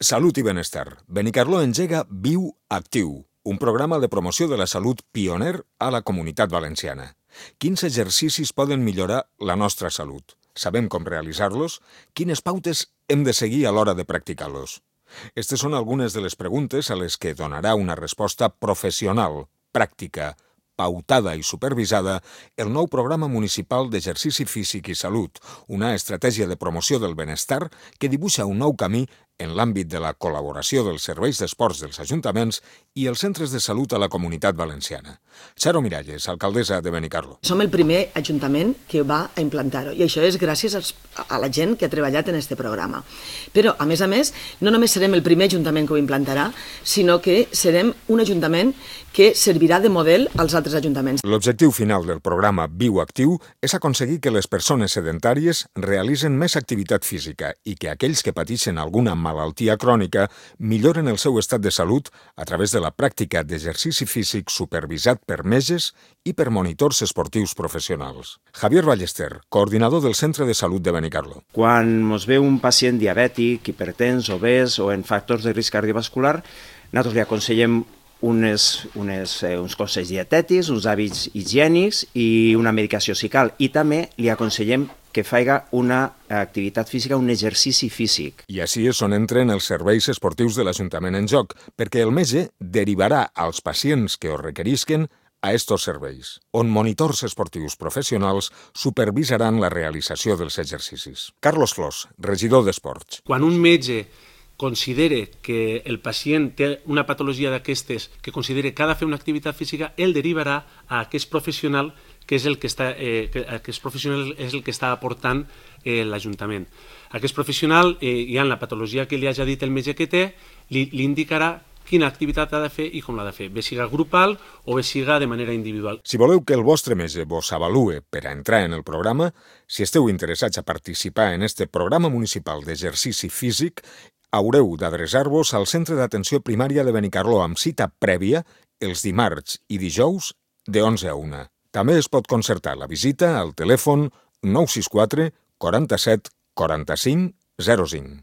Salut i benestar. Benicarló engega Viu Actiu, un programa de promoció de la salut pioner a la Comunitat Valenciana. Quins exercicis poden millorar la nostra salut? Sabem com realitzar-los? Quines pautes hem de seguir a l'hora de practicar-los? Aquestes són algunes de les preguntes a les que donarà una resposta professional, pràctica, pautada i supervisada el nou programa municipal d'exercici físic i salut, una estratègia de promoció del benestar que dibuixa un nou camí en l'àmbit de la col·laboració dels serveis d'esports dels ajuntaments i els centres de salut a la Comunitat Valenciana. Charo Miralles, alcaldessa de Benicarló. Som el primer ajuntament que va a implantar-ho i això és gràcies a la gent que ha treballat en aquest programa. Però, a més, no només serem el primer ajuntament que ho implantarà, sinó que serem un ajuntament que servirà de model als altres ajuntaments. L'objectiu final del programa Viu Actiu és aconseguir que les persones sedentàries realitzen més activitat física i que aquells que pateixen alguna malaltia crònica milloren el seu estat de salut a través de la pràctica d'exercici físic supervisat per metges i per monitors esportius professionals. Javier Ballester, coordinador del Centre de Salut de Benicarló. Quan ens ve un pacient diabètic, hipertens, obès o en factors de risc cardiovascular, nosaltres li aconsellem uns consells dietètics, uns hàbits higiènics i una medicació si cal. I també li aconsellem que faiga una activitat física, un exercici físic. I així és on entren els serveis esportius de l'Ajuntament en joc, perquè el metge derivarà als pacients que ho requerisquen a estos serveis, on monitors esportius professionals supervisaran la realització dels exercicis. Carlos Flors, regidor d'Esports. Quan un metge considere que el pacient té una patologia d'aquestes, que considere que ha de fer una activitat física, ell derivarà a aquest professional que és el que està aportant l'Ajuntament. Aquest professional, ja en la patologia que li hagi dit el metge que té, li indicarà quina activitat ha de fer i com l'ha de fer, bé siga grupal o bé siga de manera individual. Si voleu que el vostre metge vos avalue per a entrar en el programa, si esteu interessats a participar en este programa municipal d'exercici físic, haureu d'adreçar-vos al Centre d'Atenció Primària de Benicarló amb cita prèvia els dimarts i dijous de 11 a 1. També es pot concertar la visita al telèfon 964 47 45 05.